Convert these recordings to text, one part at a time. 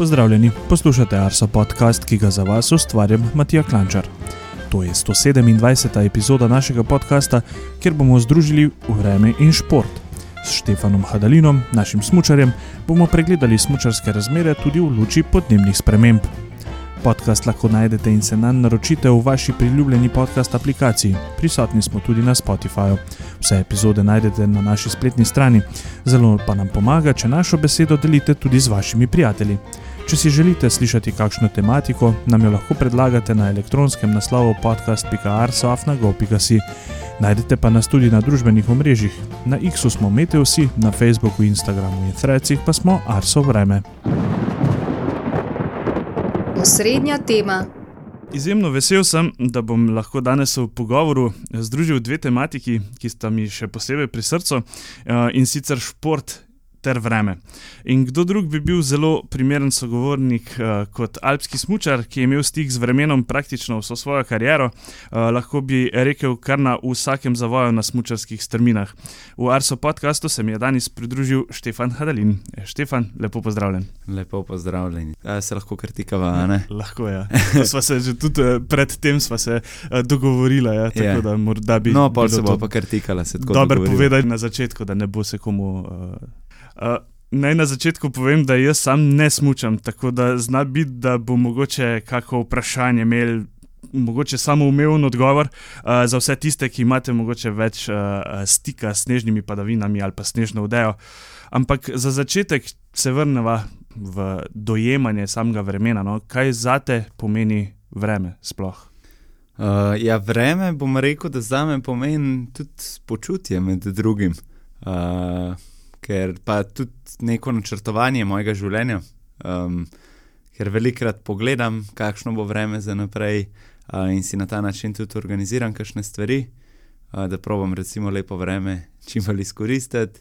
Pozdravljeni, poslušate Arso podcast, ki ga za vas ustvarjam Matija Klančar. To je 127. epizoda našega podcasta, kjer bomo združili vreme in šport. S Štefanom Hadalinom, našim smučarjem, bomo pregledali smučarske razmere tudi v luči podnebnih sprememb. Podcast lahko najdete in se nanj naročite v vaši priljubljeni podcast aplikaciji. Prisotni smo tudi na Spotifyju. Vse epizode najdete na naši spletni strani. Zelo pa nam pomaga, če našo besedo delite tudi z vašimi prijatelji. Če si želite slišati kakšno tematiko, nam jo lahko predlagate na elektronskem naslovu podcast.arso@go.si. Najdete pa nas tudi na družbenih omrežjih. Na X-u smo Meteosi, na Facebooku, Instagramu in Threadsih pa smo Arso vreme. Osrednja tema. Izjemno vesel sem, da bom lahko danes v pogovoru združil dve tematiki, ki sta mi še posebej pri srcu, in sicer šport ter vreme. In kdo drug bi bil zelo primeren sogovornik kot alpski smučar, ki je imel stik z vremenom praktično vso svojo kariero, lahko bi rekel kar na vsakem zavoju na smučarskih strminah. V Arso podcastu se mi je danes pridružil Štefan Hadalin. Štefan, lepo pozdravljen. Lepo pozdravljeni. Se lahko kritikava, ne? Lahko, ja. Sva se že tudi pred tem sva se dogovorila, ja, tako da morda bi... No, pol se bo pa kritikala, se tako dogovorila. dogovorila. Dobar povedati na začetku, da ne bo se komu... Naj na začetku povem, da jaz sam ne smučam, tako da zna biti, da bo mogoče kako vprašanje imel mogoče samoumeven odgovor za vse tiste, ki imate mogoče več stika s snežnimi padavinami ali pa snežno odejo. Ampak za začetek se vrneva v dojemanje samega vremena. No? Kaj zate pomeni vreme sploh? Vreme bom rekel, da zame pomeni tudi počutje med drugim. Ker pa tudi neko načrtovanje mojega življenja, ker velikokrat pogledam, kakšno bo vreme za naprej in si na ta način tudi organiziram kakšne stvari, da probam recimo lepo vreme čim bolj izkoristiti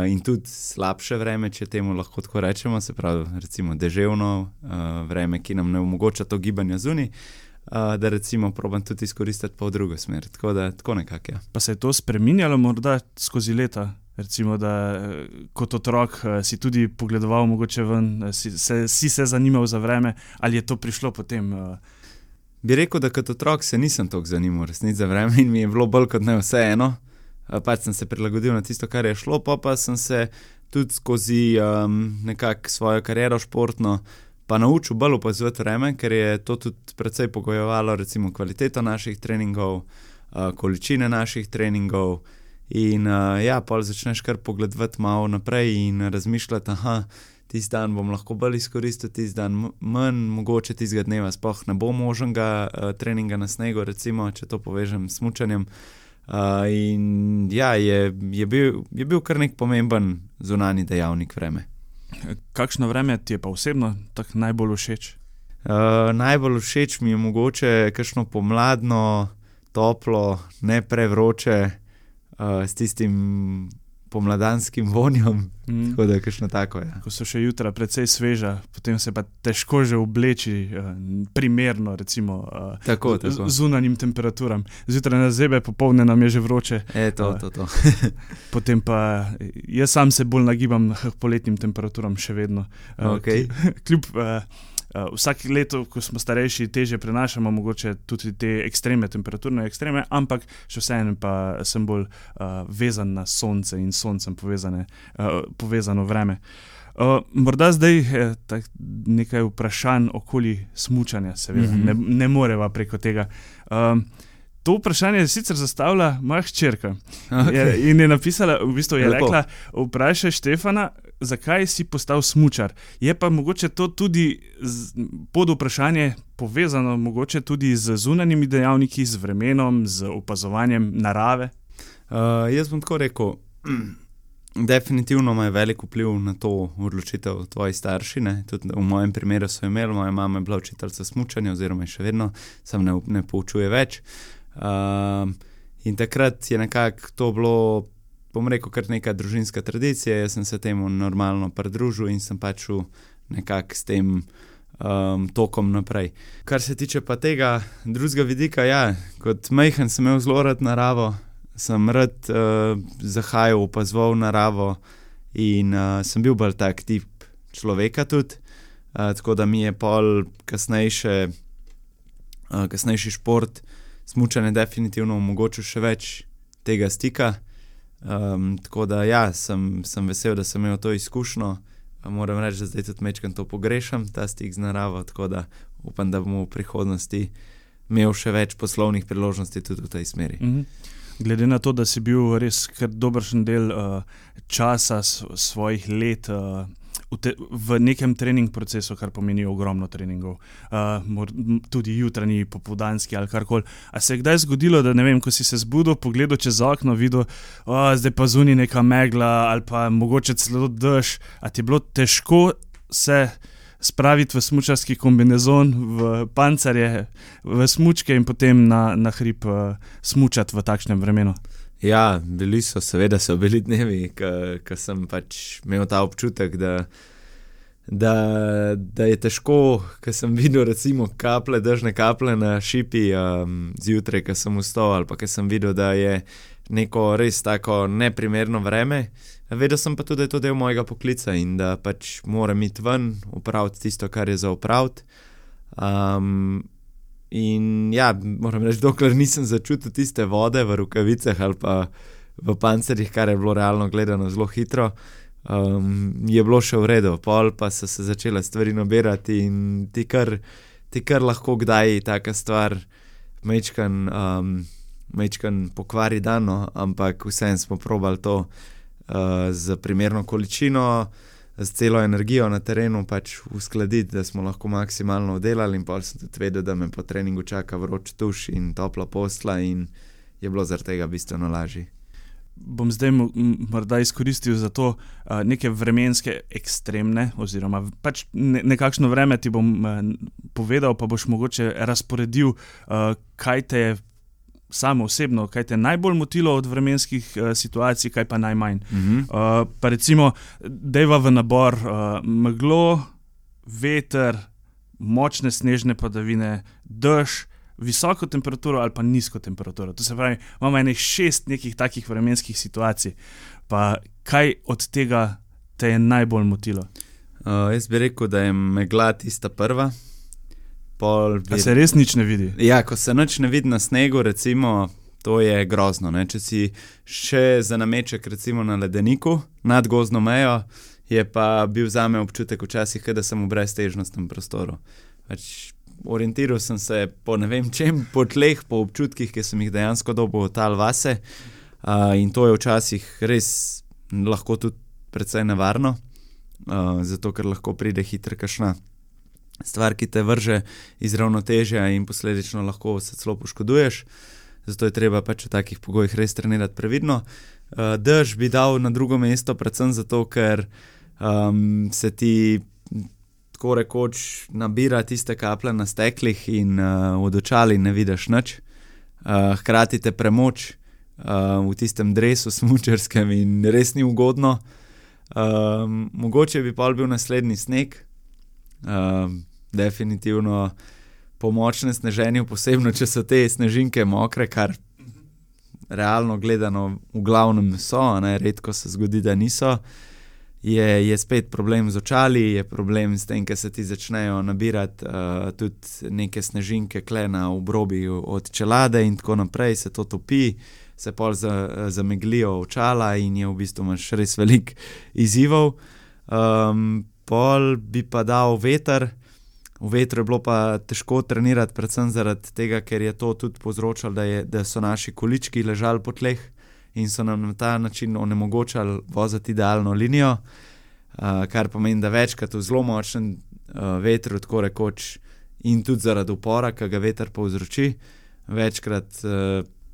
in tudi slabše vreme, če temu lahko tako rečemo, se pravi recimo deževno vreme, ki nam ne omogoča to gibanje zunaj, da recimo probam tudi izkoristiti pa v drugo smer, tako nekako, ja. Pa se je to spreminjalo morda skozi leta? Recimo, da kot otrok si tudi pogledoval mogoče ven, si se zanimal za vreme, ali je to prišlo potem? Bi rekel, da kot otrok se nisem toliko zanimal resnici za vreme in mi je bilo bolj kot ne vseeno. Pač sem se prilagodil na tisto, kar je šlo, pa sem se tudi skozi nekako svojo kariero športno pa naučil bolj opazovati vreme, ker je to tudi precej pogojevalo recimo kvaliteto naših treningov, količine naših treningov. In pol začneš kar pogledovati malo naprej in razmišljati, tisti dan bom lahko bolj izkoristil, tisti dan manj, mogoče tistega dneva sploh ne bo možnega treninga na snegu, recimo, če to povežem s smučanjem. Je bil kar nek pomemben zunanji dejavnik vreme. Kakšno vreme ti je pa osebno tako najbolj všeč? Najbolj všeč mi je mogoče kakšno pomladno, toplo, ne prevroče, s tistim pomladanskim vonjem, tako da je kakšno tako, ja. Ko so še jutra precej sveža, potem se pa težko že obleči primerno, recimo, tako. Zunanjim temperaturam. Zjutraj na zebe, popoldne nam je že vroče. To. Potem pa jaz sam se bolj nagibam k poletnim temperaturam še vedno. Okay. Kljub vsake leto, ko smo starejši, težje prenašamo mogoče tudi te ekstreme, temperaturne ekstreme, ampak še vseeno pa sem bolj vezan na sonce in s soncem povezano vreme. Morda zdaj nekaj vprašanj okoli smučanja, seveda, ne moreva preko tega. To vprašanje je sicer zastavila moja hčerka. Okay. In je napisala, v bistvu je rekla, vprašaj Štefana, zakaj si postal smučar. Je pa mogoče to tudi pod vprašanje povezano mogoče tudi z zunanjimi dejavniki, z vremenom, z opazovanjem narave? Jaz bom tako rekel, definitivno ima velik vpliv na to odločitev tvoji starši, ne? Tudi v mojem primeru so imeli, moja mama je bila učiteljica smučanja oziroma je še vedno, sam ne poučuje več. In takrat je nekako to bilo, bom rekel, kar neka družinska tradicija, jaz sem se temu normalno pridružil in sem pač nekako s tem tokom naprej. Kar se tiče pa tega drugega vidika, kot majhen sem imel zelo rad naravo, sem rad zahajal, opazoval naravo in sem bil bolj tak tip človeka tudi. tako da mi je pol kasnejši šport, smučanje definitivno omogočil še več tega stika. Tako da ja, sem vesel, da sem imel to izkušnjo. Moram reči, da zdaj tudi majčkeno to pogrešam, ta stik z naravo, tako da upam, da bomo v prihodnosti imel še več poslovnih priložnosti tudi v tej smeri. Glede na to, da si bil res kar dobršen del časa svojih let v nekem trening procesu, kar pomeni ogromno treningov, tudi jutranji, popoldanski ali karkoli. A se je kdaj zgodilo, da ne vem, ko si se zbudil, pogledal čez okno, videl, zdaj pa zunaj neka megla ali pa mogoče celo dež, a ti je bilo težko se spraviti v smučarski kombinezon, v pancerje, v smučke in potem na hrib smučati v takšnem vremenu? Ja, seveda so bili dnevi, ko sem pač imel ta občutek, da je težko, ko sem videl recimo dežne kaplje na šipi zjutraj, ko sem vstal, ali pa ko sem videl, da je neko res tako neprimerno vreme. Vedel sem pa tudi, da je to del mojega poklica in da pač moram iti ven, opraviti tisto, kar je za opraviti. In ja, moram reči, dokler nisem začutil tiste vode v rokavicah ali pa v pancerjih, kar je bilo realno gledano zelo hitro, je bilo še v redu. Pol pa so se začele stvari nabirati in ti kar lahko kdaj taka stvar majčkan pokvari dan, no, ampak vseeno smo probali to z primerno količino, z celo energijo na terenu pač uskladiti, da smo lahko maksimalno oddelali in pa sem tudi vedel, da me po treningu čaka vroč tuš in topla posla in je bilo zaradi tega bistveno lažje. Bom zdaj morda izkoristil za to neke vremenske ekstremne oziroma pač nekakšno vreme ti bom povedal, pa boš mogoče razporedil, kaj te je samo osebno, kaj te najbolj motilo od vremenskih situacij, kaj pa najmanj. Pa recimo, dejva v nabor meglo, veter, močne snežne padavine, dež, visoko temperaturo ali pa nizko temperaturo. To se pravi, imamo 6 nekih takih vremenskih situacij. Pa kaj od tega te je najbolj motilo? Jaz bi rekel, da je megla tista prva. A se res nič ne vidi? Ja, ko se nič ne vidi na snegu, recimo, to je grozno. Ne? Če si še za nameček recimo na ledeniku nad gozdno mejo, je pa bil zame občutek včasih, da sem v breztežnostnem prostoru. Pač orientiral sem se po ne vem čem, po tleh, po občutkih, ki sem jih dejansko dobil od tal vase, in to je včasih res lahko tudi precej nevarno, zato ker lahko pride hitro kakšna stvar, ki te vrže iz ravnotežja in posledično lahko se celo poškoduješ. Zato je treba pač v takih pogojih res trenirati previdno. Dež bi dal na drugo mesto, predvsem zato, ker se ti tako rekoč nabira tiste kaplje na steklih in od očali ne vidiš nič. Hkrati te premoč v tistem dresu smučarskem in res ni ugodno. Mogoče bi pol bil naslednji sneg. Definitivno po močnem sneženju, posebno če so te snežinke mokre, kar realno gledano v glavnem so, ne, redko se zgodi, da niso, je spet problem z očali, je problem s tem, ker se ti začnejo nabirati tudi neke snežinke kle na obrobi od čelade in tako naprej, se to topi, se pol zameglijo očala in je v bistvu imaš res veliko izzivov. Pol bi pa dal veter. V vetru je bilo pa težko trenirati, predvsem zaradi tega, ker je to tudi povzročalo, da so naši količki ležali po tleh in so nam na ta način onemogočali voziti idealno linijo, kar pomeni, da večkrat v zelo močnem vetru, tako rekoč, in tudi zaradi upora, ki ga veter povzroči, večkrat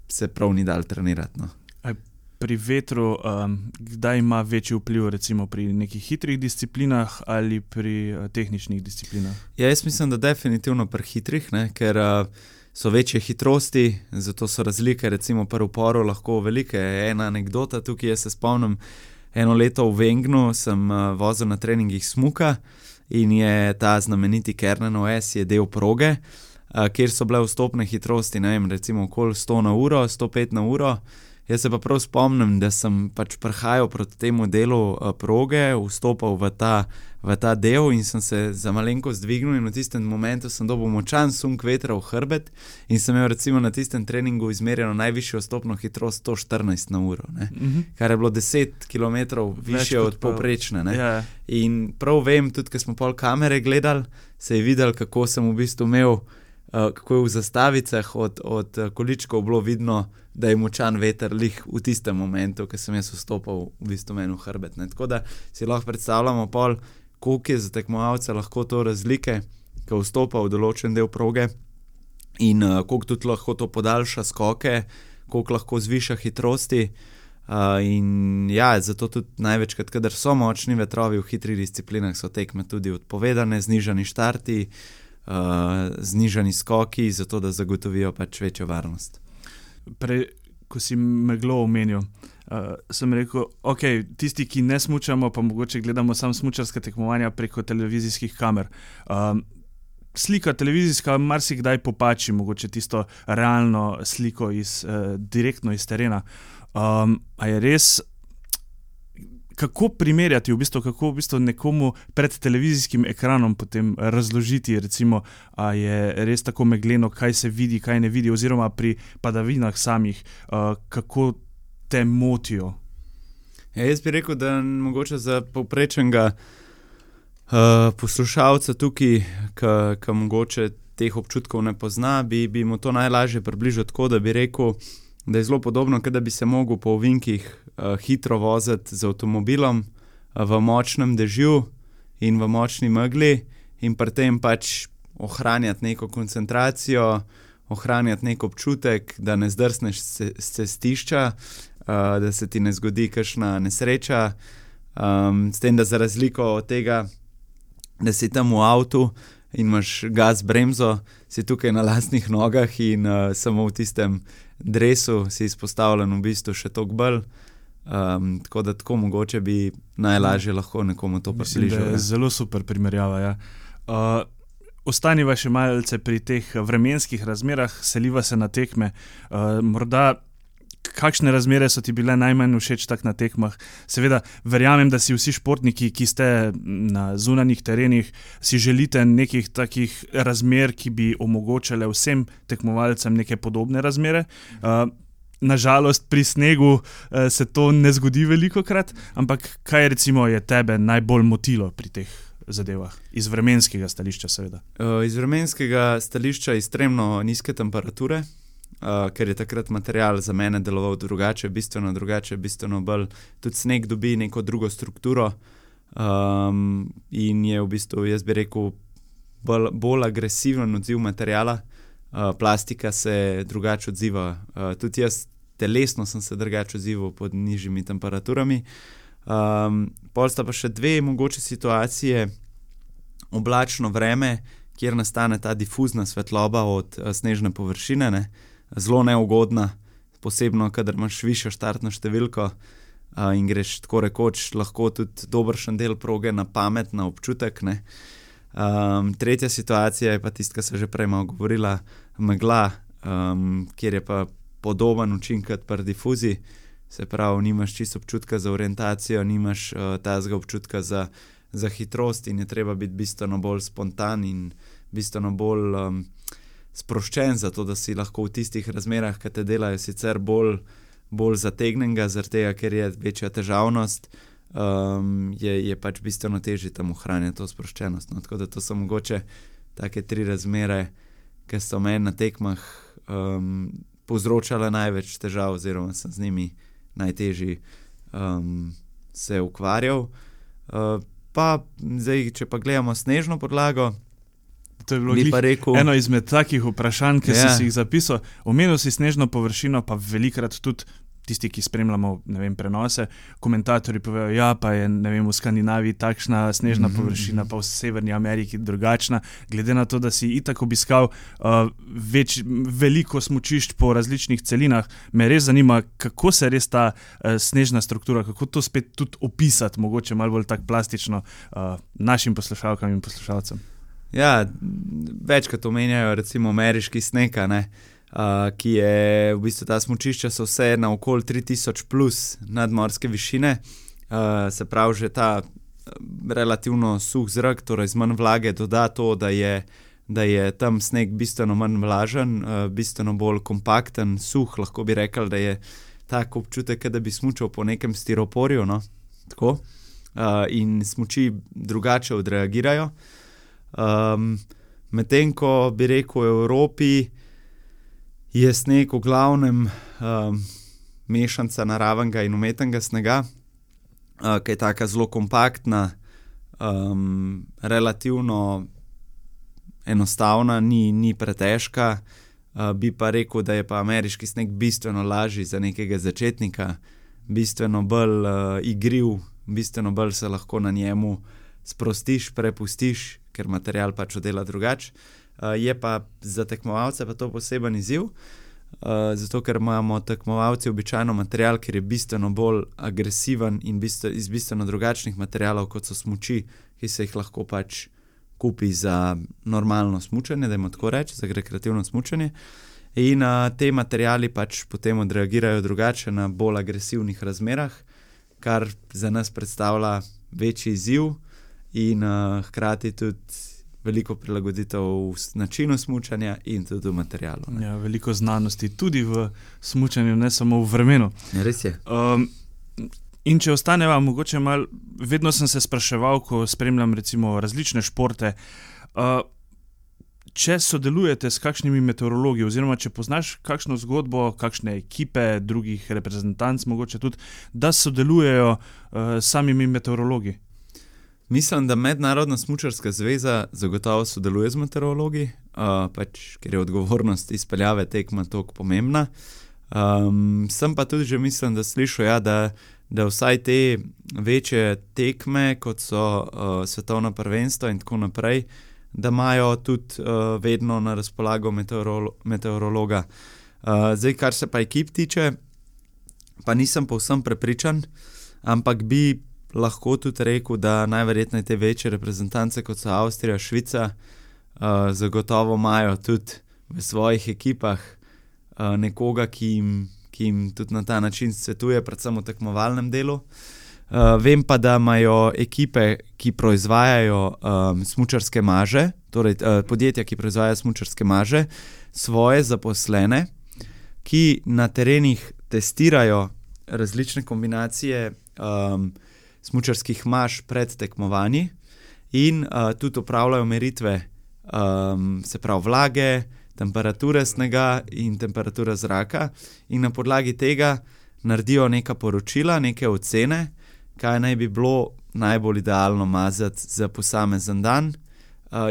se prav ni dal trenirati. No. Pri vetru, kdaj ima večji vpliv, recimo pri nekih hitrih disciplinah ali pri tehničnih disciplinah? Ja, jaz mislim, da definitivno pri hitrih, ne, ker so večje hitrosti, zato so razlike recimo pri uporu lahko velike. Ena anekdota tukaj, jaz se spomnim, eno leto v Wengnu sem vozil na treningih smuka in je ta znameniti Kernenov S je del proge, kjer so bile vstopne hitrosti, ne vem, recimo okoli 100 na uro, 105 na uro. Jaz se pa prav spomnim, da sem pač prihajal proti temu delu proge, vstopal v ta del in sem se za malenkost dvignil in v tistem momentu sem dobil močan sunk vetra v hrbet in sem imel recimo na tistem treningu izmerjeno najvišjo vstopno hitrost 114 na uro, ne? Kar je bilo 10 km više od povprečne. Ja. In prav vem, tudi ko smo pol kamere gledali, se je videl, kako sem v bistvu imel, kako je v zastavicah od količkov bilo vidno, da je močan veter lih v tistem momentu, ko sem jaz vstopal v bistvu meni v hrbet. Ne? Tako da si lahko predstavljamo pol, koliko je za tekmovalce lahko to razlike, ko vstopa v določen del proge in koliko tudi lahko to podaljša skoke, koliko lahko zviša hitrosti. In ja, zato tudi največkrat, kadar so močni vetrovi v hitrih disciplinah, so tekme tudi odpovedane, znižani štarti, znižani skoki, zato da zagotovijo pač večjo varnost. Prej, ko si meglo omenil, sem rekel, ok, tisti, ki ne smučamo, pa mogoče gledamo samo smučarska tekmovanja preko televizijskih kamer. Slika televizijska marsikdaj popači, mogoče tisto realno sliko direktno iz terena. A je res, kako primerjati, kako v bistvu nekomu pred televizijskim ekranom potem razložiti, recimo, a je res tako megleno, kaj se vidi, kaj ne vidi, oziroma pri padavinah samih, kako te motijo? Ja, jaz bi rekel, da mogoče za povprečnega poslušalca tukaj, ki mogoče teh občutkov ne pozna, bi mu to najlažje približal tako, da bi rekel, da je zelo podobno, da bi se mogel po ovinkih hitro voziti z avtomobilom v močnem dežju in v močni megli in pri tem pač ohranjati neko koncentracijo, ohranjati nek občutek, da ne zdrsneš s cestišča, da se ti ne zgodi kakšna nesreča, s tem, da za razliko od tega, da si tam v avtu in imaš gas bremzo, si tukaj na lastnih nogah in samo v tistem dresu si izpostavljen v bistvu še toliko bolj. Tako da tako mogoče bi najlažje lahko nekomu to približal. Mislim, da je zelo super primerjava, ja. Ostaniva še malce pri teh vremenskih razmerah, seliva se na tekme. Morda kakšne razmere so ti bile najmanj všeč tak na tekmah? Seveda, verjamem, da si vsi športniki, ki ste na zunanjih terenih, si želite nekih takih razmer, ki bi omogočale vsem tekmovalcem neke podobne razmere. Nažalost, pri snegu se to ne zgodi velikokrat, ampak kaj recimo je tebe najbolj motilo pri teh zadevah? Iz vremenskega stališča, seveda. Iz vremenskega stališča ekstremno nizke temperature, ker je takrat material za mene deloval drugače, bistveno bolj. Tudi sneg dobi neko drugo strukturo in je v bistvu, jaz bi rekel, bolj agresiven odziv materiala. Plastika se drugače odziva. Tudi jaz telesno sem se drugače odzival pod nižjimi temperaturami. Pol sta pa še dve mogoče situacije. Oblačno vreme, kjer nastane ta difuzna svetloba od snežne površine, ne? Zelo neugodna, posebno, kadar imaš višjo štartno številko in greš tako rekoč lahko tudi dobršen del proge na pamet, na občutek, ne. Tretja situacija je pa tista, ki se že prej malo govorila, megla, kjer je pa podoben učinek pri difuziji, se pravi, nimaš čisto občutka za orientacijo, nimaš tazga občutka za hitrost in je treba biti bistveno bolj spontan in bistveno bolj sproščen, zato da si lahko v tistih razmerah, ki te delajo sicer bolj zategnenega, zaradi tega, ker je večja težavnost, je pač bistveno težje tam ohranjati to sproščenost. No? Tako da to so mogoče take tri razmere, ki so meni na tekmah povzročale največ težav oziroma sem z njimi najtežji se ukvarjal. Pa zdaj, če pa gledamo snežno podlago, to je bilo eno izmed takih vprašanj, ki si jih zapisal. Omenil si snežno površino, pa velikrat tudi tisti, ki spremljamo, prenose, komentatorji povejo, ja, pa je, v Skandinaviji takšna snežna površina, pa v Severni Ameriki drugačna. Glede na to, da si itak obiskal veliko smučišč po različnih celinah, me res zanima, kako se res ta snežna struktura, kako to spet tudi opisati, mogoče malo bolj tak plastično našim poslušalkam in poslušalcem. Ja, večkrat omenjajo recimo ameriški sneg, ne. ki je v bistvu ta smučišča so vse na okoli 3000 plus nadmorske višine, se pravi že ta relativno suh zrak, torej z manj vlage doda to, da je tam sneg bistveno manj vlažen, bistveno bolj kompakten, suh, lahko bi rekli, da je tak občutek, da bi smučal po nekem stiroporju, no, tako, in smuči drugače odreagirajo. Medtem ko bi rekel v Evropi, je sneg v glavnem mešanca naravenega in umetnega snega, ki je taka zelo kompaktna, relativno enostavna, ni pretežka, bi pa rekel, da je pa ameriški sneg bistveno lažji za nekega začetnika, bistveno bolj igriv, bistveno bolj se lahko na njemu sprostiš, prepustiš, ker material pač oddela drugače. Je pa za tekmovalce pa to poseben izziv, zato ker imamo tekmovalci običajno material, ker je bistveno bolj agresiven in iz bistveno drugačnih materialov, kot so smuči, ki se jih lahko pač kupi za normalno smučanje, dajmo tako reči, za rekreativno smučanje. In te materiali pač potem odreagirajo drugače na bolj agresivnih razmerah, kar za nas predstavlja večji izziv in hkrati tudi veliko prilagoditev v načinu smučanja in tudi v materialu. Ja, veliko znanosti tudi v smučanju, ne samo v vremenu. Ja, res je. In če ostaneva mogoče malo, vedno sem se spraševal, ko spremljam recimo različne športe, če sodelujete s kakšnimi meteorologi oziroma če poznaš kakšno zgodbo, kakšne ekipe, drugih reprezentanc mogoče tudi, da sodelujejo s samimi meteorologi. Mislim, da Mednarodna smučarska zveza zagotovo sodeluje z meteorologi, pač, ker je odgovornost izpeljave tekma toliko pomembna. Sem pa tudi že mislim, da slišal, ja, da vsaj te večje tekme, kot so svetovna prvenstva in tako naprej, da imajo tudi vedno na razpolago meteorologa. Zdaj, kar se pa ekip tiče, pa nisem povsem prepričan, ampak bi lahko tudi rekel, da najverjetneje te večje reprezentance, kot so Avstrija, Švica, zagotovo imajo tudi v svojih ekipah nekoga, ki jim tudi na ta način svetuje, predvsem v tekmovalnem delu. Vem pa, da imajo ekipe, ki proizvajajo smučarske maže, torej podjetja, ki proizvajajo smučarske maže, svoje zaposlene, ki na terenih testirajo različne kombinacije smučarskih maž pred tekmovanji in tudi opravljajo meritve, se pravi vlage, temperature snega in temperature zraka in na podlagi tega naredijo neka poročila, neke ocene, kaj naj bi bilo najbolj idealno mazati za posamezen dan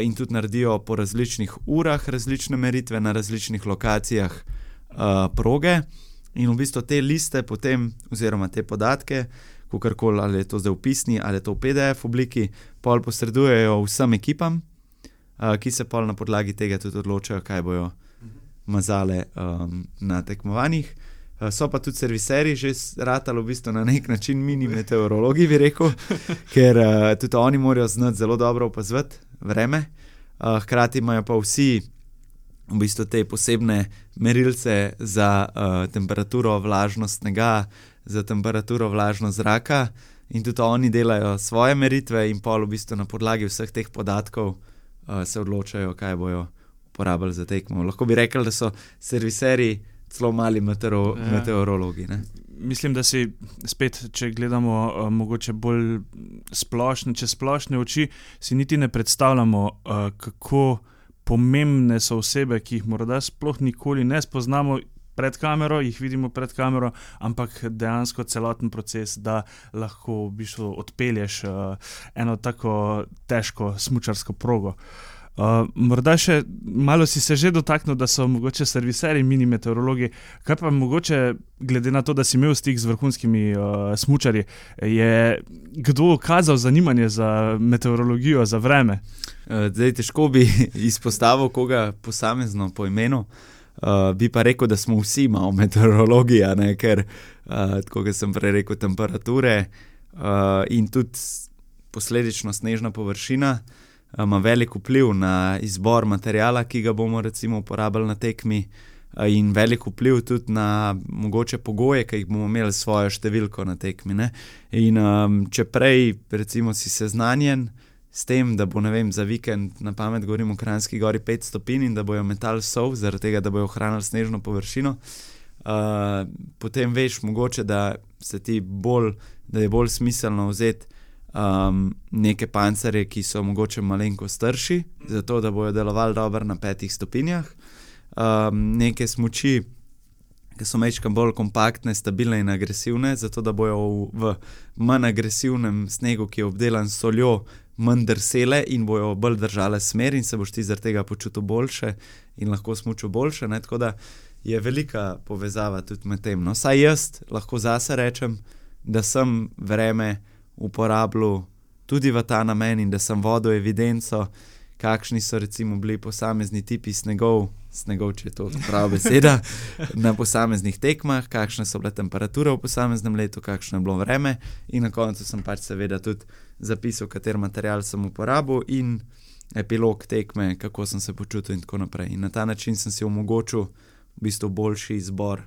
in tudi naredijo po različnih urah različne meritve na različnih lokacijah proge in v bistvu te liste potem, oziroma te podatke, kakorkoli, ali je to zdaj v pisni ali je to v PDF obliki, pol posredujejo vsem ekipam, ki se pol na podlagi tega tudi odločajo, kaj bojo mazale na tekmovanjih. So pa tudi serviserji že ratali v bistvu na nek način mini meteorologi, bi rekel, ker tudi oni morajo znati zelo dobro opazovati vreme. Hkrati imajo pa vsi v bistvu te posebne merilce za temperaturo, vlažnost snega, za temperaturo, vlažnost zraka in tudi oni delajo svoje meritve in pol v bistvu na podlagi vseh teh podatkov se odločajo, kaj bojo uporabljali za tekmo. Lahko bi rekli, da so serviserji celo mali meteorologi. Ne? Mislim, da si spet, če gledamo mogoče bolj splošne, čez splošne oči, si niti ne predstavljamo, kako pomembne so osebe, ki jih morda sploh nikoli ne spoznamo pred kamero, jih vidimo pred kamero, ampak dejansko celoten proces, da lahko v bistvu odpelješ eno tako težko smučarsko progo. Morda še malo si se že dotaknil, da so mogoče serviserji mini meteorologi. Kaj pa mogoče, glede na to, da si imel stik z vrhunskimi smučarji, je kdo kazal zanimanje za meteorologijo, za vreme? Zdaj, težko bi izpostavil koga posamezno po imenu, bi pa rekel, da smo vsi malo meteorologi, ne? Ker, tako kot sem prej rekel, temperature in tudi posledično snežna površina ima velik vpliv na izbor materiala, ki ga bomo recimo uporabljali na tekmi. in velik vpliv tudi na mogoče pogoje, ki jih bomo imeli s svojo številko na tekmi, ne. In če prej recimo si seznanjen s tem, da bo, ne vem, za vikend na pamet govorim v Kranjski Gori 5 stopinj in da bojo metali sol, zaradi tega, da bojo ohranili snežno površino, potem veš mogoče, da je bolj smiselno vzeti neke pancerje, ki so mogoče malenkost strši, zato da bojo delovali dobro na 5 stopinjah, neke smuči, ki so majčkeno bolj kompaktne, stabilne in agresivne, zato da bojo v manj agresivnem snegu, ki je obdelan s soljo, manj drsele in bojo bolj držale smer in se boš ti zaradi tega počutil boljše in lahko smučil boljše, ne, tako da je velika povezava tudi med tem. No, saj jaz lahko zase rečem, da sem vreme uporabljal tudi v ta namen in da sem vodil evidenco, kakšni so recimo bili posamezni tipi snegov, če je to prava beseda, na posameznih tekmah, kakšne so bile temperature v posameznem letu, kakšno je bilo vreme in na koncu sem pač seveda tudi zapisal, kater material sem uporabil in epilog tekme, kako sem se počutil in tako naprej. In na ta način sem si omogočil v bistvu boljši izbor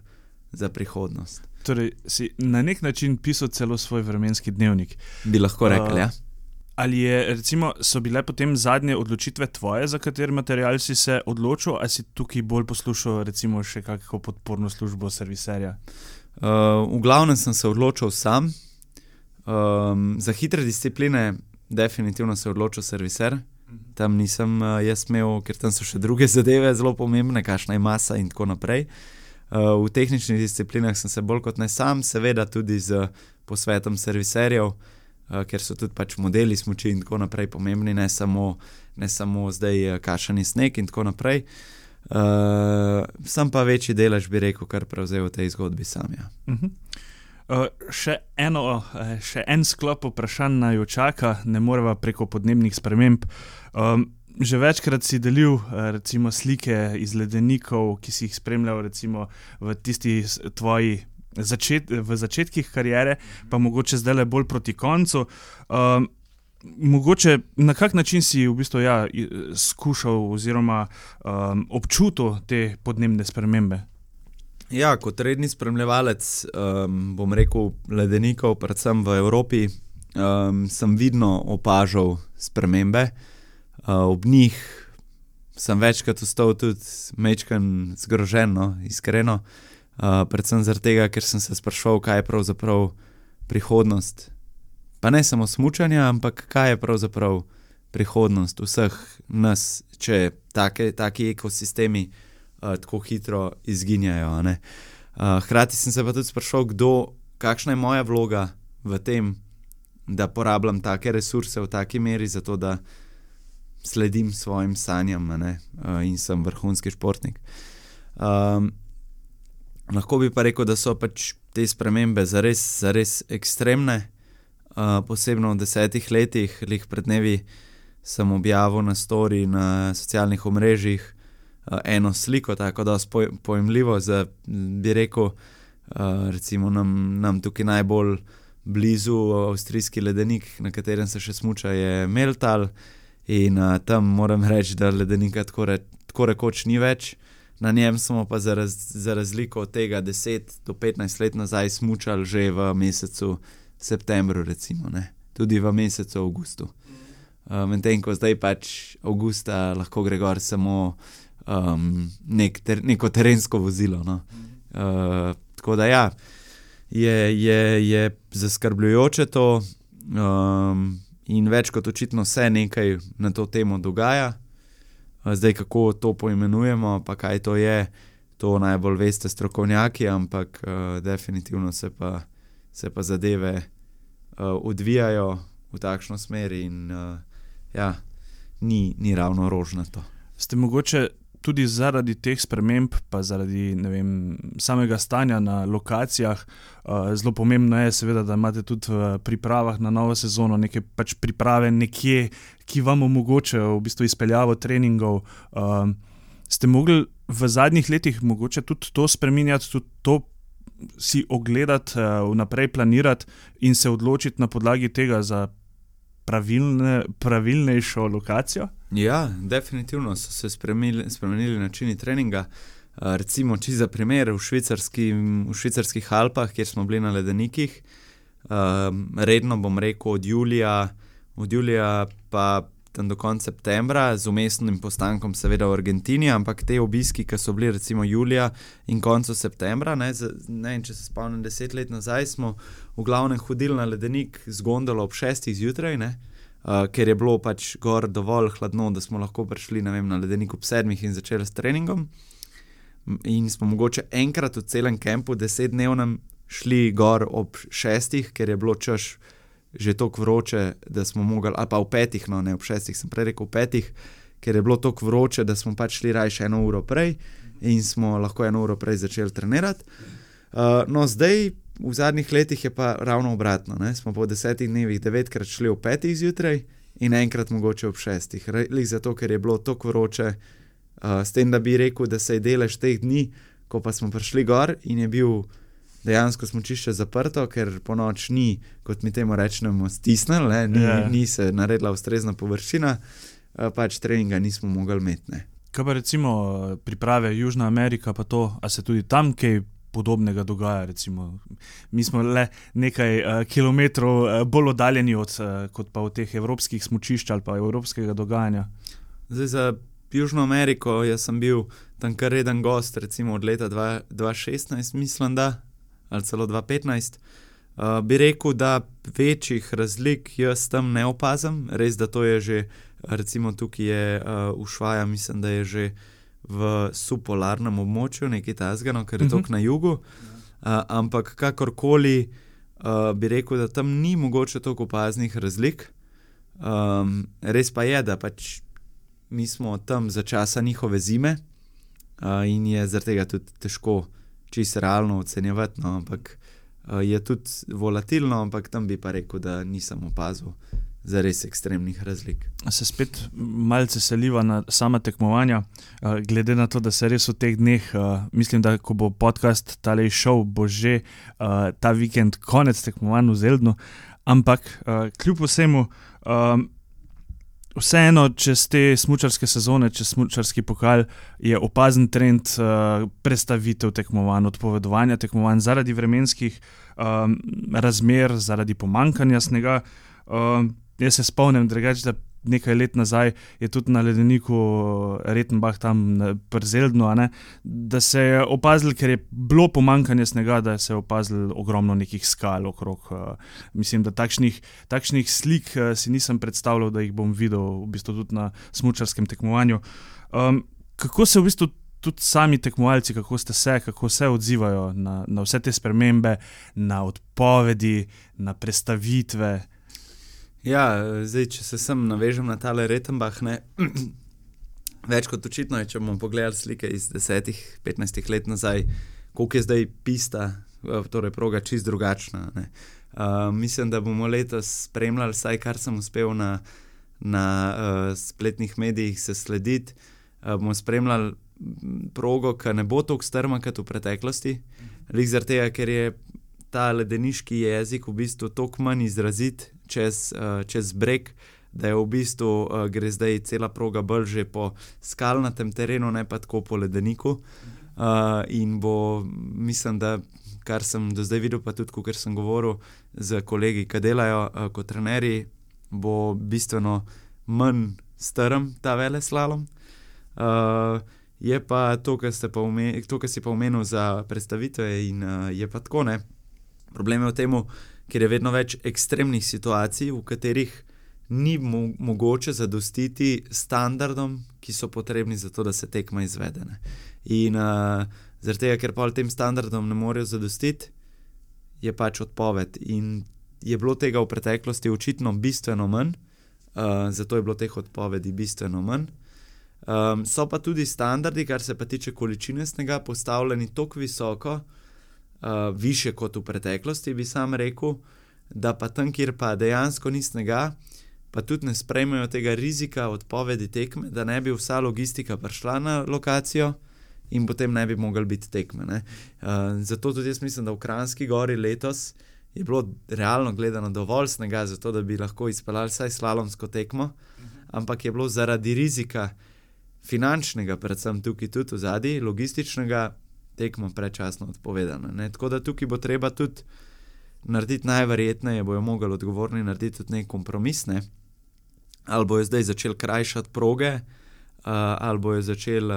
za prihodnost. Torej, si na nek način pisal celo svoj vremenski dnevnik. Bi lahko rekli, ja. Ali recimo, so bile potem zadnje odločitve tvoje, za kater material si se odločil, ali si tukaj bolj poslušal recimo še kakšno podporno službo serviserja? V glavnem sem se odločil sam. Za hitre discipline definitivno se odločil serviser. Tam nisem jaz imel, ker tam so še druge zadeve zelo pomembne, kakšna je masa in tako naprej. V tehničnih disciplinah sem se bolj kot ne sam, seveda tudi z posvetom serviserjev, ker so tudi pač modeli smuči in tako naprej pomembni, ne samo zdaj kašani sneg in tako naprej. Sem pa večji delež, bi rekel, kar prevzel v tej zgodbi sam, ja. Še en sklop vprašanj naju čaka, ne moreva preko podnebnih sprememb. Že večkrat si delil recimo slike iz ledenikov, ki si jih spremljal recimo v tisti tvoji v začetkih kariere, pa mogoče zdajle bolj proti koncu. Mogoče na kak način si v bistvu skušal oziroma občutil te podnebne spremembe? Ja, kot redni spremljevalec, bom rekel, ledenikov, predvsem v Evropi, sem vidno opažal spremembe. Ob njih sem večkrat ostal tudi majčkeno zgrožen, no, iskreno. Predvsem zaradi tega, ker sem se spraševal, kaj je pravzaprav prihodnost. Pa ne samo smučanja, ampak kaj je pravzaprav prihodnost vseh nas, če taki ekosistemi tako hitro izginjajo, ne. Hkrati sem se pa tudi spraševal, kakšna je moja vloga v tem, da porabljam take resurse v taki meri, zato da sledim svojim sanjam, ne, in sem vrhunski športnik. Lahko bi pa rekel, da so pač te spremembe zares ekstremne, posebno v 10 letih, pred dnevi sem objavil na story na socialnih omrežjih eno sliko, tako da pojemljivo, bi rekel, recimo nam tukaj najbolj blizu avstrijski ledenik, na katerem se še smuča, je Meltal in tam moram reči, da ledenika tako rekoč ni več. Na njem smo pa za razliko od tega 10 do 15 let nazaj smučali že v mesecu septembru, recimo, ne. Tudi v mesecu avgustu. Medtem ko zdaj pač avgusta lahko gre gor samo neko terensko vozilo, no. Tako da ja, je zaskrbljujoče to in več kot očitno se nekaj na to temo dogaja. Zdaj, kako to poimenujemo, pa kaj to je, to najbolj veste strokovnjaki, ampak definitivno se pa zadeve odvijajo v takšno smer in ni ravno rožnato. Ste mogoče tudi zaradi teh sprememb, pa zaradi, ne vem, samega stanja na lokacijah, zelo pomembno je seveda, da imate tudi v pripravah na novo sezono neke pač priprave nekje, ki vam omogočajo v bistvu izpeljavo treningov. Ste mogli v zadnjih letih mogoče tudi to spreminjati, tudi to si ogledati, vnaprej planirati in se odločiti na podlagi tega za pravilnejšo lokacijo? Ja, definitivno so se spremenili načini treninga. Recimo, če za primer, v švicarskih Alpah, kjer smo bili na ledenikih, redno bom rekel od julija pa tam do konca septembra, z umestnim postankom seveda v Argentini, ampak te obiski, ki so bili recimo julija in koncu septembra, ne, če se spomnim 10 let nazaj, smo v glavnem hodili na ledenik z gondolo ob 6 zjutraj, ker je bilo pač gor dovolj hladno, da smo lahko prišli, ne vem, na ledenik ob 7 in začeli s treningom. In smo mogoče enkrat v celem kempu 10-dnevnem šli gor ob 6, ker je bilo čas že toliko vroče, da smo mogli, ali pa v 5, no ne ob 6, sem prej rekel v 5, ker je bilo toliko vroče, da smo pač šli raje 1 uro prej in smo lahko 1 uro prej začeli trenirati. No zdaj, v zadnjih letih je pa ravno obratno, ne? Smo po 10 dnevih 9krat šli v 5 zjutraj in enkrat mogoče ob 6. Zato, ker je bilo toliko vroče, s tem, da bi rekel, da se je delež teh dni, ko pa smo prišli gor in je bil dejansko smučišče zaprto, ker po noč ni, kot mi temu rečemo, stisnil, ni se naredila ustrezna površina, pač treninga nismo mogli imeti. Ne. Kaj pa recimo priprave Južna Amerika, pa to, a se tudi tam kaj podobnega dogaja, recimo? Mi smo le nekaj kilometrov bolj oddaljeni kot pa v teh evropskih smučišč ali pa evropskega dogajanja. Zdaj za Južno Ameriko, jaz sem bil tam kar reden gost, recimo od leta 2016, mislim da, ali celo 2015, bi rekel, da večjih razlik jaz tam ne opazim, res, da to je že, recimo tukaj je Ushuaia, mislim, da je že v subpolarnem območju, nekaj tasga, no, ker je toliko na jugu, ampak kakorkoli bi rekel, da tam ni mogoče toliko opaznih razlik, res pa je, da pač mi smo tam za časa njihove zime in je zaradi tega tudi težko čisto realno ocenjevati, no, ampak je tudi volatilno, ampak tam bi pa rekel, da nisem opazil za res ekstremnih razlik. Se spet malce seliva na sama tekmovanja, glede na to, da se res v teh dneh, mislim, da ko bo podcast tale šel, bo že ta vikend konec tekmovanj v Zeldnu, ampak kljub vsemu, vseeno, čez te smučarske sezone, čez smučarski pokal, je opazen trend prestavitev tekmovanj, odpovedovanja tekmovanj zaradi vremenskih razmer, zaradi pomanjkanja snega. Jaz se spomnim drugače, da nekaj let nazaj je tudi na ledeniku Rettenbach tam pri Zeldnu, da se je opazil, ker je bilo pomanjkanje snega, da se je opazil ogromno nekih skal okrog. Mislim, da takšnih slik si nisem predstavljal, da jih bom videl v bistvu tudi na smučarskem tekmovanju. Kako se v bistvu tudi sami tekmovalci, kako se odzivajo na vse te spremembe, na odpovedi, na prestavitve? Ja, zdaj, če se sem navežem na tale Rettenbach, več kot očitno je, če bomo pogledali slike iz 10-15 let nazaj, koliko je zdaj pista, torej proga čisto drugačna. Mislim, da bomo letos spremljali, vsaj kar sem uspel na spletnih medijih se slediti, bomo spremljali progo, ki ne bo toliko strma kot v preteklosti, zaradi tega, ker je ta ledeniški jezik v bistvu toliko manj izrazit čez breg, da je v bistvu gre zdaj cela proga bolj že po skalnatem terenu, ne pa tako po ledeniku. In bo, mislim, da kar sem do zdaj videl, pa tudi, ker sem govoril z kolegi, ki delajo kot trenerji, bo bistveno manj strm ta veleslalom. Je pa to, kar si pa omenil za predstavitve in je pa tako, ne. Problem je v tem, ker je vedno več ekstremnih situacij, v katerih ni mogoče zadostiti standardom, ki so potrebni za to, da se tekma izvede. In zaradi tega, ker pa tem standardom ne morejo zadostiti, je pač odpoved. In je bilo tega v preteklosti očitno bistveno manj, zato je bilo teh odpovedi bistveno manj. So pa tudi standardi, kar se pa tiče količine snega, postavljeni toliko visoko, više kot v preteklosti, bi sam rekel, da pa tam, kjer pa dejansko ni snega, pa tudi ne sprejmejo tega rizika odpovedi tekme, da ne bi vsa logistika prišla na lokacijo in potem ne bi mogli biti tekme. Zato tudi jaz mislim, da v Kranjski Gori letos je bilo realno gledano dovolj snega, zato da bi lahko izpeljali vsaj slalomsko tekmo, ampak je bilo zaradi rizika, finančnega, predvsem tukaj tudi v zadnji, logističnega, tekmo predčasno odpovedana. Ne? Tako da tukaj bo treba tudi narediti najverjetneje, bojo mogli odgovorni narediti tudi nek kompromis, ne? Ali bojo zdaj začeli krajšati proge, ali bojo začeli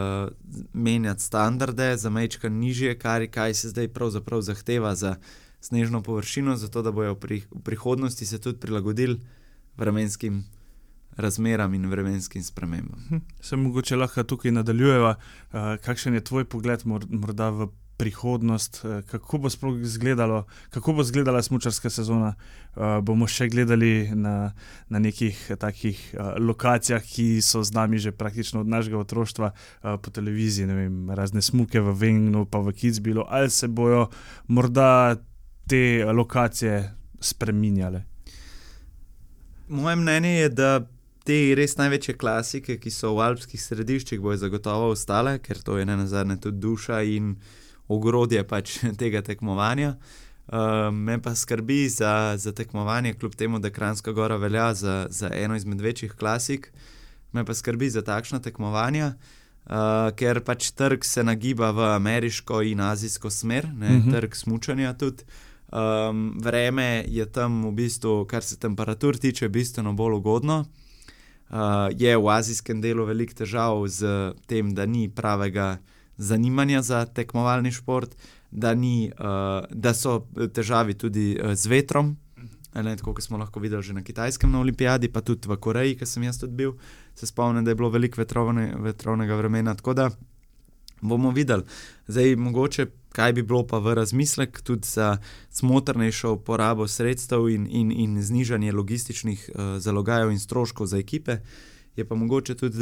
menjati standarde za majčka nižje, kaj se zdaj pravzaprav zahteva za snežno površino, zato da bojo v prihodnosti se tudi prilagodili vremenskim razmeram in vremenskim spremembam. Se mogoče lahko tukaj nadaljujeva. Kakšen je tvoj pogled morda v prihodnost? Kako bo sploh izgledalo, kako bo izgledala smučarska sezona? Bomo še gledali na nekih takih lokacijah, ki so z nami že praktično od našega otroštva po televiziji, ne vem, razne smuke v Wengnu pa v Kitzbühelu, ali se bojo morda te lokacije spreminjale? Moje mnenje je, da te res največje klasike, ki so v alpskih središčih, bojo zagotovo ostale, ker to je nenazadnje tudi duša in ogrodje pač tega tekmovanja. Me pa skrbi za tekmovanje, kljub temu, da Kranjska Gora velja za eno izmed večjih klasik, me pa skrbi za takšna tekmovanja, ker pač trg se nagiba v ameriško in azijsko smer, ne, trg smučanja tudi. Vreme je tam v bistvu, kar se temperatur tiče, bistveno bolj ugodno. Je v azijskem delu veliko težav z tem, da ni pravega zanimanja za tekmovalni šport, da so težavi tudi z vetrom, tako kot smo lahko videli že na Kitajskem na olimpijadi, pa tudi v Koreji, ki sem jaz tudi bil, se spomnim, da je bilo veliko vetrovnega vremena, tako da bomo videli. Zdaj mogoče, kaj bi bilo pa v razmislek tudi za smotrnejšo uporabo sredstev in znižanje logističnih zalogajev in stroškov za ekipe, je pa mogoče tudi,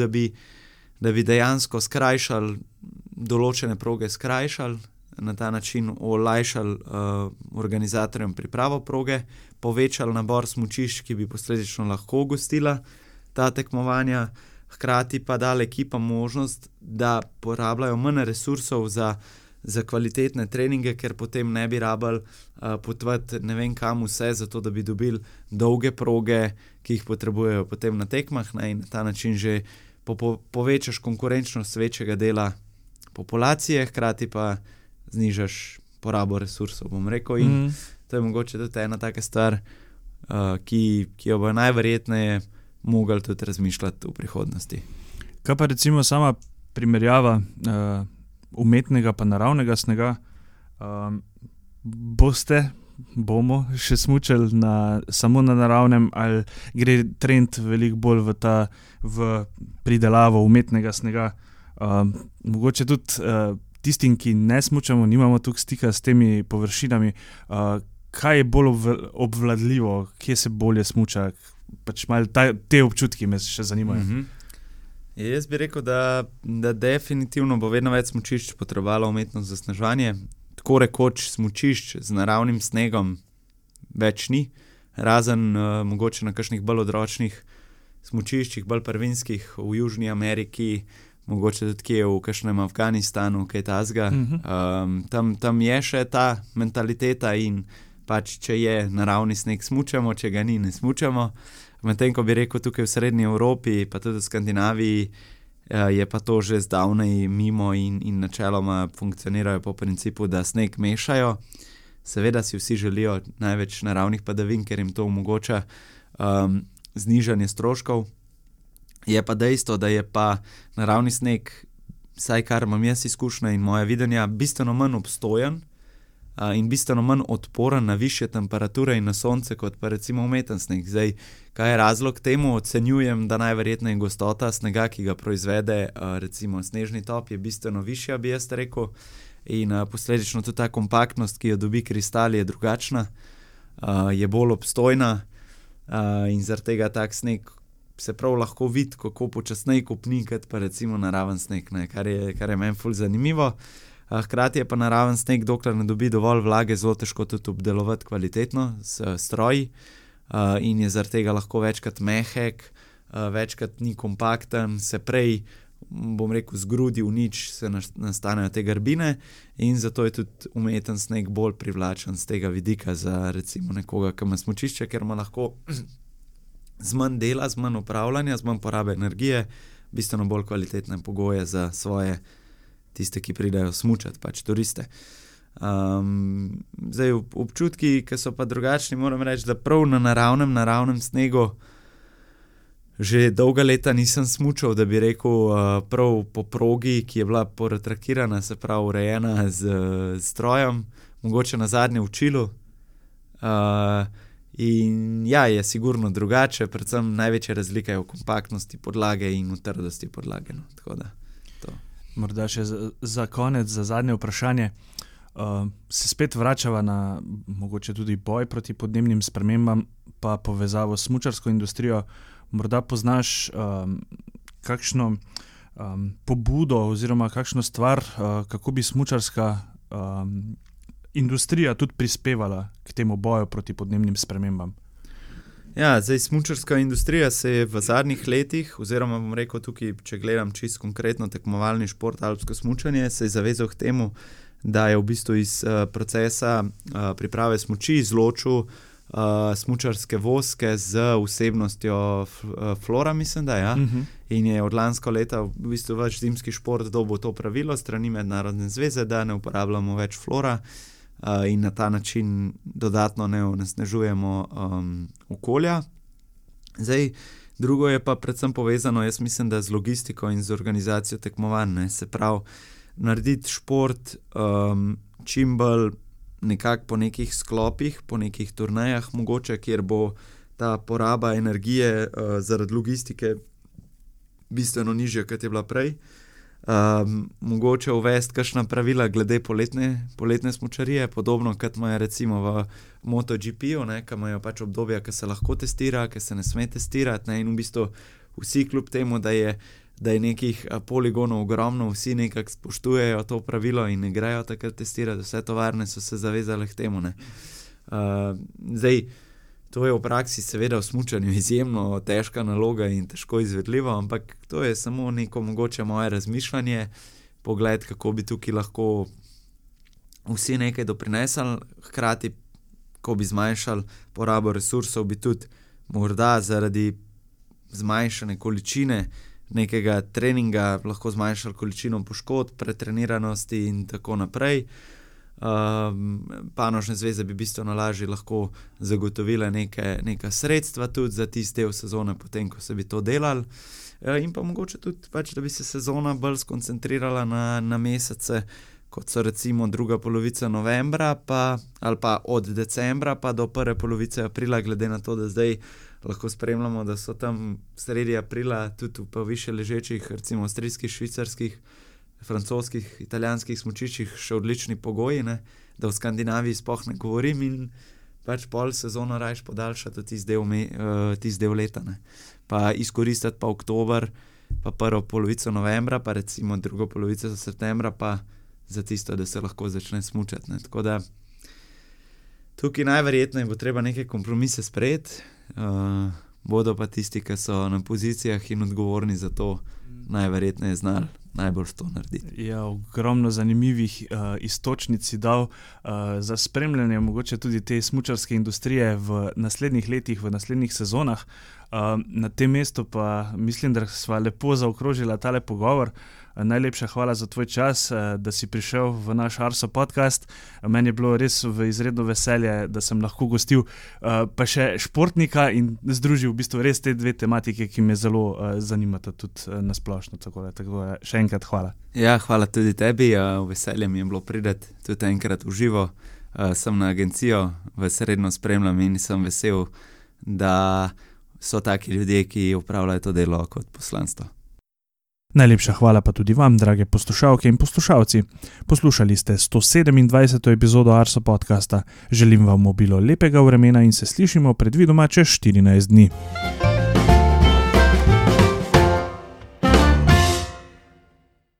da bi dejansko skrajšali določene proge, na ta način olajšali organizatorjem pripravo proge, povečali nabor smučišč, ki bi posledično lahko gostila ta tekmovanja, hkrati pa dali ekipam možnost, da porabljajo manj resursov za kvalitetne treninge, ker potem ne bi rabili potovati ne vem kam vse, zato da bi dobili dolge proge, ki jih potrebujejo potem na tekmah, ne, in na ta način že povečaš konkurenčnost večjega dela populacije, hkrati pa znižaš porabo resursov, bom rekel, in to je mogoče tudi ena taka stvar, ki jo bo najverjetneje mogli tudi razmišljati v prihodnosti. Kaj pa recimo sama primerjava umetnega pa naravnega snega? Bomo še smučali samo na naravnem, ali gre trend veliko bolj v pridelavo umetnega snega? Mogoče tudi tistim, ki ne smučamo, nimamo tukaj stika s temi površinami, kaj je bolj obvladljivo, kje se bolje smuča? Pač malo te občutki me še zanimajo. Jaz bi rekel, da definitivno bo vedno več smučišč potrebovalo umetno zasneževanje. Tako rekoč smučišč z naravnim snegom več ni, razen mogoče na kakšnih bolj odročnih smučiščih, bolj prvinskih v Južni Ameriki, mogoče tudi kje v kakšnem Afganistanu, kaj tazga. Tam je še ta mentaliteta in pač, če je naravni sneg, smučamo, če ga ni, ne smučamo. Medtem, ko bi rekel tukaj v Srednji Evropi, pa tudi v Skandinaviji, je pa to že zdavnej mimo in načeloma funkcionirajo po principu, da sneg mešajo. Seveda si vsi želijo največ naravnih padavin, ker jim to omogoča znižanje stroškov. Je pa dejstvo, da je pa naravni sneg, vsaj kar imam jaz izkušnja in moja videnja, bistveno manj obstojen in bistveno manj odporen na višje temperature in na sonce, kot pa recimo umeten sneg. Zdaj, kaj je razlog temu? Ocenjujem, da najverjetneje gostota snega, ki ga proizvede recimo snežni top, je bistveno višja, bi jaz rekel, in posledično tudi ta kompaktnost, ki jo dobi kristal, je drugačna, je bolj obstojna in zaradi tega tak sneg se prav lahko vidi, kako počasneje kopni, kot pa recimo naraven sneg, ne, kar je meni ful zanimivo. Hkrati je pa naraven sneg, dokler ne dobi dovolj vlage, zelo težko tudi obdelovati kvalitetno s stroji in je zaradi tega lahko večkrat mehek, večkrat ni kompakten, se prej, bom rekel, zgrudi v nič, se nastanejo te grbine in zato je tudi umeten sneg bolj privlačen z tega vidika za recimo nekoga, ki ima smučišče, ker ima lahko z manj dela, z manj upravljanja, z manj porabe energije, bistveno bolj kvalitetne pogoje za svoje tiste, ki pridejo smučati, pač turiste. Zdaj občutki, ki so pa drugačni, moram reči, da prav na naravnem snegu že dolga leta nisem smučal, da bi rekel prav po progi, ki je bila poretrakirana, se pravi urejena z strojem, mogoče na zadnje v Čilu. In ja, je sigurno drugače, predvsem največja razlika je v kompaktnosti podlage in v trdosti podlage. No. Tako da, to. Morda še za konec, za zadnje vprašanje. Se spet vračava na mogoče tudi boj proti podnebnim spremembam, pa povezavo s smučarsko industrijo. Morda poznaš kakšno pobudo oziroma kakšno stvar, kako bi smučarska industrija tudi prispevala k temu boju proti podnebnim spremembam? Ja, zdaj smučarska industrija se je v zadnjih letih, oziroma bom rekel tukaj, če gledam čisto konkretno tekmovalni šport, alpsko smučanje, se je zavezal k temu, da je v bistvu iz procesa priprave smuči izločil smučarske voske z vsebnostjo flora, mislim, da ja. In je od lansko leta v bistvu več zimski šport dobil to pravilo strani Mednarodne zveze, da ne uporabljamo več flora in na ta način dodatno ne onesnažujemo okolja. Zdaj, drugo je pa predvsem povezano, jaz mislim, da z logistiko in z organizacijo tekmovanj, se pravi, narediti šport čim bolj nekako po nekih sklopih, po nekih turnejah mogoče, kjer bo ta poraba energije zaradi logistike bistveno nižja, kot je bila prej. Mogoče uvesti kakšna pravila glede poletne smučarije, podobno kot imajo recimo v MotoGP-u, ki imajo pač obdobja, ki se lahko testira, ki se ne sme testirati, ne, in v bistvu vsi kljub temu, da je nekih poligonov ogromno, vsi nekako spoštujejo to pravilo in ne grejo takrat testirati, vse tovarne so se zavezale k temu. Ne. Zdaj, to je v praksi seveda v smučanju izjemno težka naloga in težko izvedljivo, ampak to je samo neko mogoče moje razmišljanje, pogled, kako bi tukaj lahko vsi nekaj doprinesli, hkrati, ko bi zmanjšali porabo resursov, bi tudi morda zaradi zmanjšane količine nekega treninga lahko zmanjšali količino poškodb, pretreniranosti in tako naprej. Panožne zveze bi bistveno lažje lahko zagotovile neka sredstva tudi za tisti del sezone, potem, ko se bi to delali. In pa mogoče tudi, pač, da bi se sezona bolj skoncentrirala na mesece, kot so recimo druga polovica novembra, ali pa od decembra pa do prve polovice aprila, glede na to, da zdaj lahko spremljamo, da so tam sredi aprila tudi v više ležečih, recimo avstrijskih, švicarskih, francoskih, italijanskih smučiščih še odlični pogoji, ne, da v Skandinaviji sploh ne govorim in pač pol sezono rajš podaljšati tisti del leta. Ne. Pa izkoristiti pa oktober, pa prvo polovico novembra, pa recimo drugo polovico septembra, pa za tisto, da se lahko začne smučati. Ne. Tako da tukaj najverjetneje bo treba neke kompromise sprejeti, bodo pa tisti, ki so na pozicijah in odgovorni za to, najverjetneje znali najbolj to narediti. Ja, ogromno zanimivih iztočnic si dal za spremljanje mogoče tudi te smučarske industrije v naslednjih letih, v naslednjih sezonah. Na tem mestu pa mislim, da sva lepo zaokrožila tale pogovor. Najlepša hvala za tvoj čas, da si prišel v naš Arso podcast. Meni je bilo res v izredno veselje, da sem lahko gostil pa še športnika in združil v bistvu res te dve tematike, ki me zelo zanimata tudi nasplošno. Tako da še enkrat hvala. Ja, hvala tudi tebi. Veselje mi je bilo priti tudi enkrat v živo. Sem na agencijo, vas redno spremljam in sem vesel, da so taki ljudje, ki upravljajo to delo kot poslanstvo. Najlepša hvala pa tudi vam, drage poslušalke in poslušalci. Poslušali ste 127. epizodo Arso podcasta. Želim vam obilo lepega vremena in se slišimo predvidoma čez 14 dni.